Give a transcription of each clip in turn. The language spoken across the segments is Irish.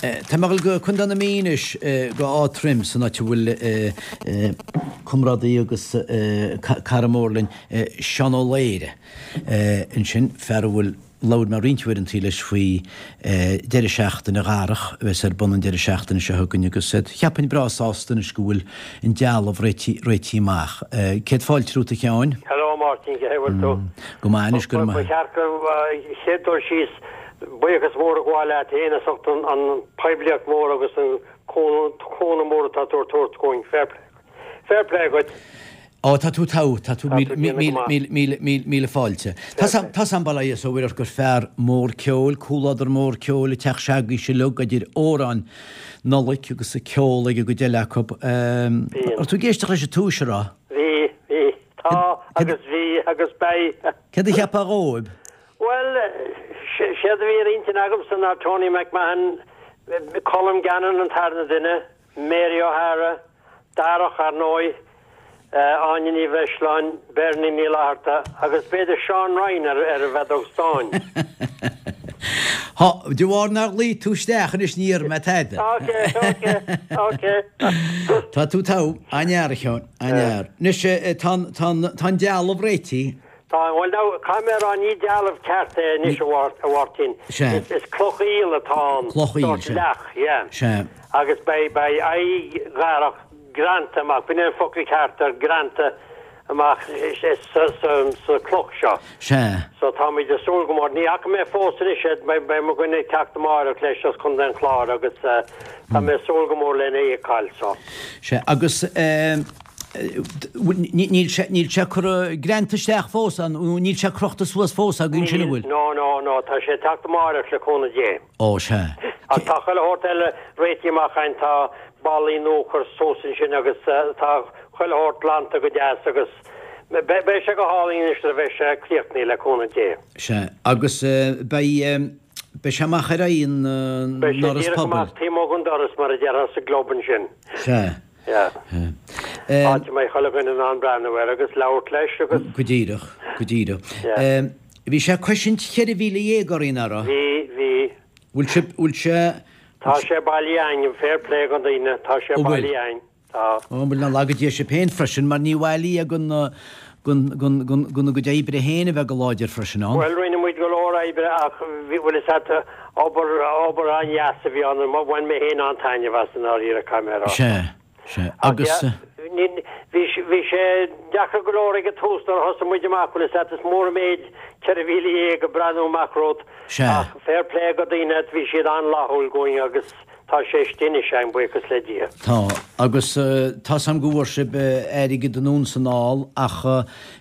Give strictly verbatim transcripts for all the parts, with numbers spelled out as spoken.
Tá mé ag dul go Contae na Mí anois go Áth Troim san áit a bhfuil comrádaí agus cara mór linn Seán Ó Laoire ansin, fear a bhfuil labhair mé roinnt uaireantaí leis faoi deireadh seachtaine Dharach a bheas ar bun an deireadh seachtaine seo chugainn agus cheapfainn breá sásta anois go bhfuil an dealbh réitithe amach. Céad fáilte romhat a Sheáin. Hello a Mháirtín, cén chaoi a bhfuil tú? Go maith anois, go raibh maith. Ba cheart go chéad dul síos buíochas mór a ghabháil leat féin as ucht an poiblíocht mhór agus an cúnamh mór atá tú ag tabhairt dhúinn. Fair play. Fair play dhuit. Ó, tá tú togha, tá tú, míle, míle, míle fáilte. Tá 's a'm, bail ó Dhia is ó Mhuire ort gur fear mór ceoil, comhluadar mór ceoil, an teach se'agaibhse uilig, idir amhráin Nollag agus ceol ag an gcuid eile acu. Raibh tú ag éisteacht leis an túis, a raibh? Bhí, bhí. Tá agus bhí agus beidh. Céard a cheapfá dhóibh? Bhuel, séard a bhí ar intinn agamsa ná Tony McMahon, Colm Gannon an tarna duine, Mary O'Hara, Darach, ar ndóigh, Áine Ní Bhreisleáin, Bernie Ní Fhlatharta agus b'fhéidir Seán Ryan ar ar an bhfeadóg stáin. Há, de bharr nár ghlaoigh tú isteach anois ní dhéarfaidh mé tada. Ok, ok, ok. Tá tú togha, an-fhear a Sheáin, an-fhear. Anois, tá an, tá an, tá an dealbh réitithe. Tá, bhuel now, caithfidh mé a rá, ní dealbh ceart é anois a Mháirtín. Sea. Is cloch aoil atá ann. Cloch aoil, sea. Leac, yeah. Sea. Agus beidh, beidh aghaidh Dharach greanta amach, b'in é an focal ceart air, greanta amach sa, sa, sa cloch seo. Sea. So táimid ag súil go mór. Ní fhaca mé fós anois é, beidh, beidh mo dhuine ag teacht amáireach leis as Contae an Chláir agus tá mé ag súil go mór lena fheiceáil, so. Sea, agus eh. Níl sé, níl sé curtha greanta isteach fós, an, nó níl sé crochta suas fós againn sin, an bhfuil? Níl, no, no, no, tá sé ag teacht amáireach le cúnamh Dé. Ó, sea. Ach tá chuile shórt eile réitithe amach againn, tá ballaí nua curtha suas ansin agus tá chuile shórt glanta go deas agus beidh sé go hálainn anois nuair a bheidh sé críochnaithe le cúnamh Dé. Sea, agus beidh, beidh sé amach ar aghaidh an Beidh sé ndoras díreach pobail. amach taobh amuigh den doras mar a déarfá sa gclub ansin. Sea. Yeah. Áit a mbeidh chuile dhuine in ann breathnú air agus labhairt leis agus. Go díreach, go díreach. Yeah. Bhí sé coisint cheithre mhíle dhéag orainn, nach raibh? Bhí, bhí. Bhfuil sé, bhfuil sé. Tá sé bailithe againn, fair play do dhaoine, tá sé Ó bhfuil? bailithe againn, tá. Ó, bhuel, nach laga Dia sibh féin freisin, mar ní bhailí ag an, gona gcuid oibre féin a bheith go láidir freisin ann. Bhuel, rinne muid go leor oibre ach bhí, bhfuil fhios a't, obair, obair an-dheas a bhí ann, bhain mé féin an-taitneamh as i ndáiríre, caithfidh mé a rá. Sea, sea. Agus. Ach, ní, bhí, bhí sé deacair go leor ag an tús nuair a thosaigh muid amach, bhfuil fhios a't, is mór an méid ceithre mhíle dhéag ag breathnú amach romhat. Sea. Ach fair play do dhaoine, bhí siad an-fhlaithiúil dhúinn agus. Tá sé istigh anois againn, buíochas le Dia. Tá, agus tá's a'm go bhfuair sibh airgead anonn 's anall ach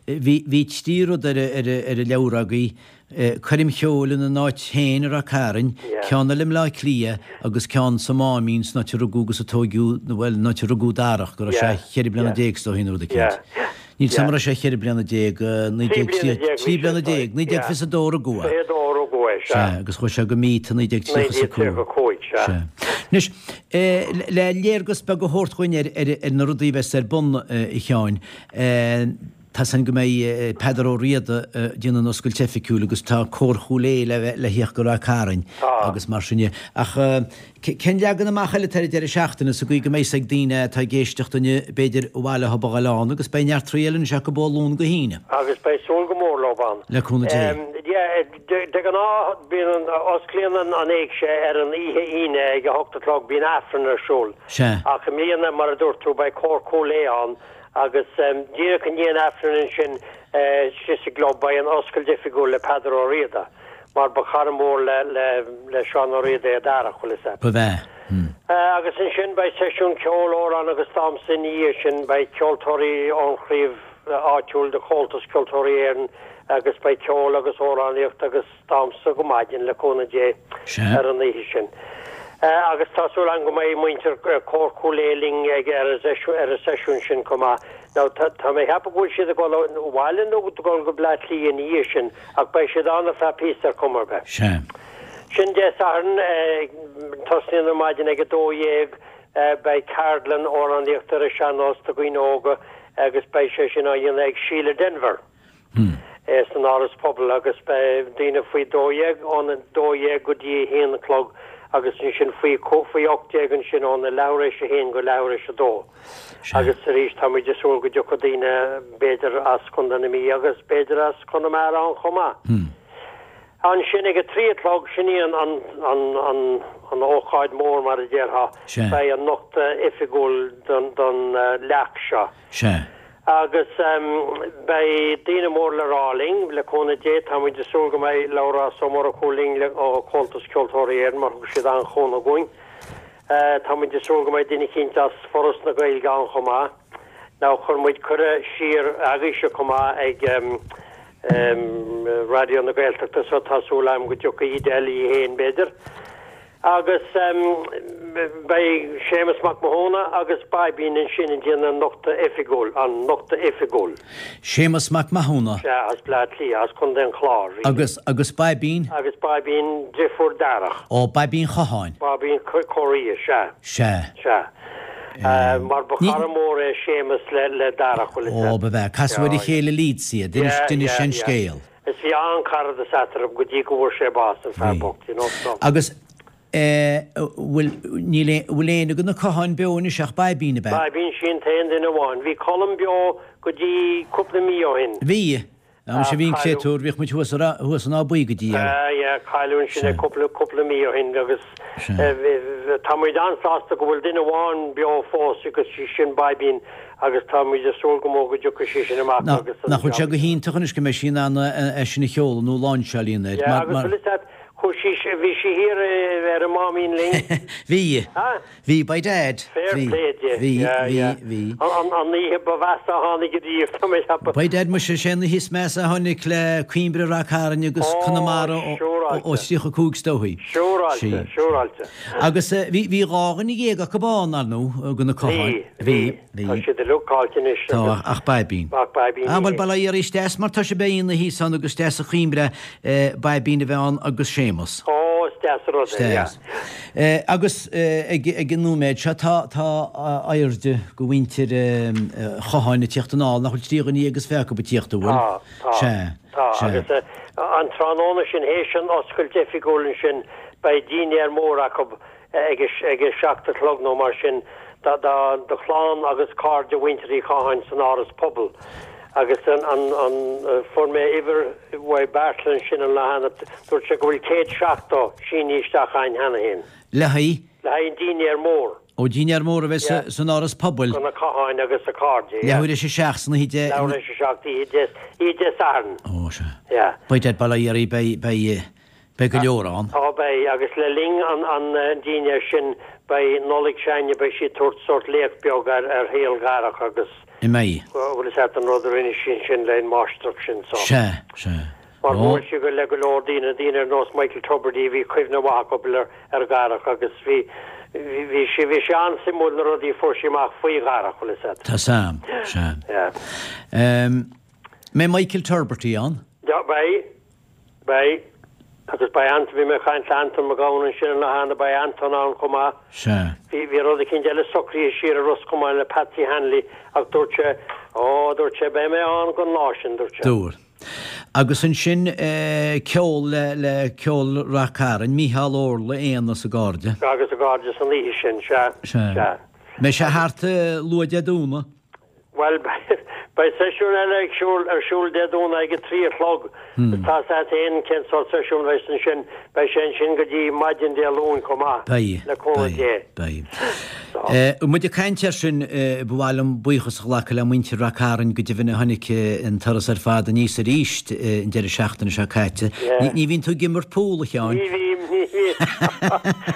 bhí, bhí trí rud ar, ar, ar an leabhar agaibh, coirm cheoil ina n-áit féin i Ráth Cairn, ceann eile i mBleá Cliath agus ceann sa Máimín san áit a rugadh agus a tóigeadh, bhuel, an áit a rugadh Darach, go raibh sé cheithre bliana déag is dóigh nó rud eicínt. Níl 's a'm an raibh sé cheithre bliana déag, naoi déag trí, trí bliana déag, naoi déag fiche a dó a rugadh é. Fiche a dó a rugadh é, sea. Sea, agus chuaigh sé go Meath i naoi déag tríocha is a cúig. Naoi déag tríocha a cúig, sea. Sea. Anois, le léargas beag a thabhairt dhúinn ar, ar, ar na rudaí a bheas ar bun, a Sheáin, tá's a'inn go mbeidh Peadar Ó Riada ag déanamh an oscailt oifigiúil agus tá Cór Chúil Aodha le bheith, le thíocht go Ráth Cairn agus mar sin de. Ach, Cén leagan amach eile atá ar an deireadh seachtaine sa gcaoi go mbeidh 's ag daoine atá ag éisteacht inniu b'fhéidir i bhaile acu a ghoil ann agus beidh neart rudaí eile anois acu ó Luan go hAoine. Agus beidh súil go mór leo ann. Le cúnamh Dé. Yeah, de ghnáth bíonn an, osclaíonn an an éigse ar an oíche Aoine ag a hocht a chlog, bíonn Aifreann ar siúl. Sea. Ach i mbliana, mar a dúirt tú, beidh Cór Chúil Aodha ann agus díreach i ndiaidh an Aifrinn ansin istigh sa gclub beidh an oscailt oifigiúil le Peadar Ó Riada. Mar ba chara mór le le Seán Ó Riada é Darach, bhfuil fhios a'd. Ba bhea. Agus ansin beidh seisiún ceoil, amhrán agus damhsa ina dhiaidh sin. Beidh ceoltóirí ón chraobh áitiúil de Chomhaltas Ceoltóirí Éireann agus beidh ceol agus amhránaíocht agus damhsa go maidin, le cúnamh Dé, ar an oíche sin. Agus tá súil agam go mbeidh muintir Cór Chúil Aodha linn ag ar an seisiún sin chomh maith. Now tá tá mé ag ceapadh go bhfuil siad ag dul abhaile nó ag dul go Bleá Cliath ina dhiaidh sin ach beidh siad ann ar feadh píosa ar chuma ar bith. Sea. Sin Dé Sathairn, tosnaíonn ar maidin ag a dó dhéag, beidh ceardlann amhránaíochta ar an sean-nós do dhaoine óga agus beidh sé sin á dhéanamh ag Síle Denvir san Áras Pobail agus beidh daoine faoi dó dhéag ón dó dhéag go dtí a haon a chlog agus ansin faoi faoi ocht déag ansin óna leathuair théis a haon go leathuair théis a dó. Agus arís tá muid ag súil go dtiocfaidh daoine b'fhéidir as Contae na Mí agus b'fhéidir as Conamara ann chomh maith. Hmm. Ansin ag a trí a chlog sin í an an an an an ócáid mór mar a déarfá. Sea. Beidh an nochtadh oifigiúil don don leac seo. Sea. Agus beidh daoine mór le rá linn, le cúnamh Dé, tá muid ag súil go mbeidh Labhrás Ó Murchú linn le ó Chomhaltas Ceoltóirí Éireann mar thug siad an-chúnamh dhúinn. Tá muid ag súil go mbeidh duine eicínt as Foras na Gaeilge ann chomh maith. Now chuir muid cuireadh siar agaibhse chomh maith ag Raidió na Gaeltachta so tá súil agam go dtiocfaidh Edel í féin b'fhéidir. Agus beidh Séamus Mac Mathúna agus Baibín ansin ag déanamh an nochtadh oifigiúil, an nochtadh oifigiúil. Séamus Mac Mathúna. Sea, as Bleá Cliath, as Contae an Chláir. Agus, agus Baibín? Agus Baibín, deirfiúr Darach. Ó, Baibín Chatháin. Baibín Corria, sea. Sea. Sea. Mar ba chara mór é Séamus le, le Darach, bhfuil fhios Ó, ba bhea. Casadh ar a chéile i Leeds iad, d'inis, d'inis sé an scéal. Is bhí an-charadas eatarthu go dtí go bhfuair sé bás, an fear bocht, you know, so. Agus bhfuil, níl aon, bhfuil éinne de na Catháin beo anois ach Baibín, ab ea? Baibín, sin t-aon duine amháin. Bhí Colm beo go dtí cúpla mí ó shin. Bhí. Am sé bhí an créatúr, bhíodh muid thuas ar, thuas in Áth Buí go dtí é. Ah yeah, cailleadh ansin é cúpla, cúpla mí ó shin agus tá muid an-sásta go bhfuil duine amháin beo fós agus sí sin Baibín agus tá muid ag súil go mór go dtiocfaidh sí sin amach agus Nach bhfuil sé go hiontach anois go mbeidh sí in ann é sin a sheoladh nó láinseáil a dhéanamh air. Yeah, agus bhfuil fhios agat, chuaigh sí, bhí sí thiar ar an Máimín linn. Bhí. Bhí, by dad. Fair play di. Bhí, bhí, bhí. An oíche ba mheasa a tháinig ariamh, tá mé ag ceapadh. By dad, muise, sé an oíche is measa a tháinig le Coimbre Ráth Cairn agus Conamara ó tríocha cúig is dóichí. Siúráilte, siúráilte. Agus bhí, bhí dhá dhuine dhéag acu ann, ar ndóigh, de na Catháin. Bhí, bhí. Tá siad uilig caillte anois. Tá, ach Baibín. Ach Baibín. Ah, bhuel, bail ó Dhia uirthi, is deas mar tá sé beidh ina thíos ann agus deas a Choimbre Baibín a bheith ann agus Séamus. Ó, is deas an rud é, yeah. Deas. Agus ag ag an nóiméad seo tá tá airde go mhuintir Chatháin ag tíocht anall, nach bhfuil trí dhuine dhéag is fiche acu ag tíocht, an bhfuil? Tá, tá. Sea, Tá, sea. agus an tráthnóna sin, théis an oscailt oifigiúil ansin, beidh dinnéar mór acu ag ag a seacht a chlog nó mar sin do do chlann agus cairde mhuintir Uí Chatháin san Áras Pobail. Agus an an an fuair mé uimhir uaidh Beairtle ansin an lá cheana, dúirt sé go bhfuil céad seachtó sínithe isteach againn cheana féin. Le haghaidh? Le haghaidh an dinnéar mór. Ó, dinnéar mór a bheidh Yeah. san Áras Pobail. Do na Catháin agus a cairde, yeah. Leathuair théis a seacht san oíche Dé. Leathuair théis a seacht, oíche Dé, oíche Dé Sathairn. Ó, sea. Yeah. By dad, bail ó Dhia uirthi, beidh, beidh, Beidh go leor ann. Tá, beidh, agus le linn an an dinnéir sin beidh Nollaig s'againne, beidh sí ag tabhairt sórt léacht beag ar ar shaol Dharach agus. An mbeidh? Bhfuil fhios agat an rud a rinne sí ansin le an máistreacht sin so. Sea, sea. Mar bhuail sí go le go leor daoine, daoine ar nós Michael Tubridy, bhí cuimhne mhaith acu ar ar Dharach agus bhí bhí bhí sé bhí sé an-suimiúil na rudaí a fuair sí amach faoi Dharach, bhfuil fhios agat. Tá Sam, sea. Yeah. An mbeidh Michael Turberty ann? Yeah, beidh. Beidh. Agus beidh Anton, bhí mé ag caint le Anton Mac Gabhann ansin an lá cheana, beidh Anton ann chomh maith. Sea. Bhí, bhí rud eicínt eile socraithe siar i Ros Comáin le Patsy Hanley ach dúirt sé, Ó, dúirt sé, beidh mé ann don lá sin, dúirt sé. Dúirt. Agus ansin ceol le, le Ceol Rath Cairn, Mícheál Ó Órla, Éanna is a gcairde. Agus a gcairde san oíche sin, sea. Sea. Sea. Mbeidh sé thart luath Dé Domhnaigh? Bhuel, beidh seisiún eile ag siúl, ar siúl Dé Domhnaigh ag a trí a chlog. Tá 's a't fhéin cén sórt seisiún a bheas ansin. Beidh sé ansin go dtí maidin Dé Luain chomh maith, Beidh, le cúnamh beidh, Dé. beidh. Eh, muid ag caint air sin, ba mhaith liom buíochas a ghlacadh le muintir Rath Cairn go deimhin a tháinig an turas ar fad aníos arís an deireadh seachtaine seo caite. Yeah. Ní, ní bhíonn tú ag imirt pool, a Sheáin? Ní bhím, ní bhím.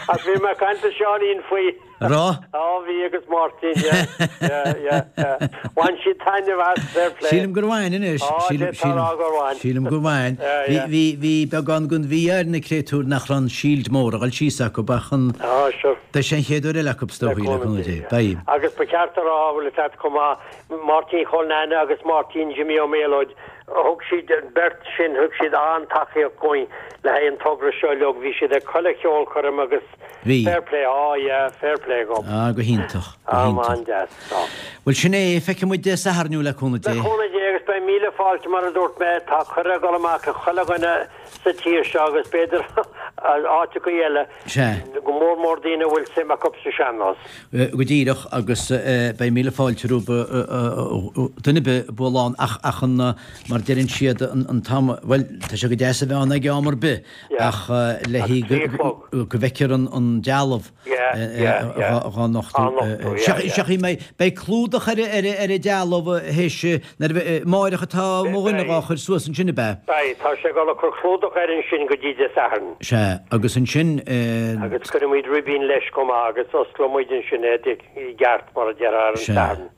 Ach bhí mé ag caint le Seáinín faoi. Raibh? Á bhí agus Máirtín, yeah, yeah, yeah, yeah. Bhain siad taitneamh as, fair play. Sílim gur bhain anois. Á, Sílim, d'fhéadfá a rá gur bhain. Sílim gur bhain. Yeah, Bhí, yeah. bhí, bhí beagán den mhí-ádh ar na créatúir nach raibh an seilid mór ag dul síos acu ach an, Á, sure. beidh sé an chéad uair eile acu is Le dóichí, le cúnamh cúnamh Dé, Dé. yeah. Beidh. Agus ba cheart a rá, bhfuil fhios a't chomh maith, Máirtín Chóil Neaine agus Máirtín Jimmy Ó Méalóid, thug siad, an bheirt sin, thug siad an-tacaíocht dhúinn le haghaidh an togra seo uilig. Bhí siad ag chuile cheolchoirm agus Bhí. fair play, á yeah, fair play dhób. Ah, go hiontach, go Ah, hiontach. an-deas, tá. Bhuel, sin é, feicfidh muid Dé Sathairn thú le cúnamh Le Dé. cúnamh Dé agus beidh míle fáilte mar a dúirt mé, tá cuireadh ag dul amach ag chuile dhuine sa tír seo agus b'fhéidir áiteachaí eile, go mór mór daoine a bhfuil suim acu sa sean-nós. Go díreach, agus beidh míle fáilte roimh duine ar bith bualadh ann ach ach an, mar deireann siad, an t-am, bhuel, tá sé go deas a bheith ann ag am ar bith ach le go bhfeicfear an dealbh dhá nochtadh. Seachadh mé, beidh clúdach ar an dealbh théis nuair a bheidh, amáireach atá mo dhuine dhá chur suas ansin ab ea? Beidh, tá sé ag dul ag cur clúdach air ansin go dtí Dé Sathairn. Sea, agus ansin. Agus cuirfimid ribín leis chomh maith agus osclóimid ansin é i gceart mar a déarfá ar an Satharn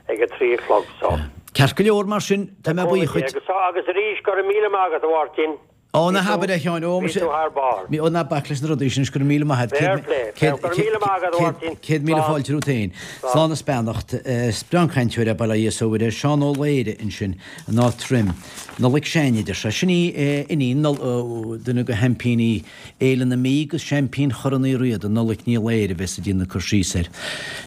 ag a trí a chlog so. Ceart go leor mar sin, tá mé buíoch dhuit. Agus arís, go raibh míle maith agat a Mháirtín. Ó, ná habair é, a Sheáin. Ó, Bhí tú thar barr. Ó, ná bac leis na rudaí sin, go raibh míle maith agat. Fair play. Go raibh míle maith agat, a Mháirtín. Céad míle fáilte romhat féin. Slán is beannacht. Is breá an cainteoir é, bail ó Dhia is ó Mhuire. Seán Ó Laoire ansin, in Áth Troim. Nollaig Shine, a deir sé. Sin í iníon duine de sheaimpíní Fhéile na Mí agus seaimpín Chorn Uí Riada, Nollaig Ní Laoire, a bheas ag déanamh cur síos air.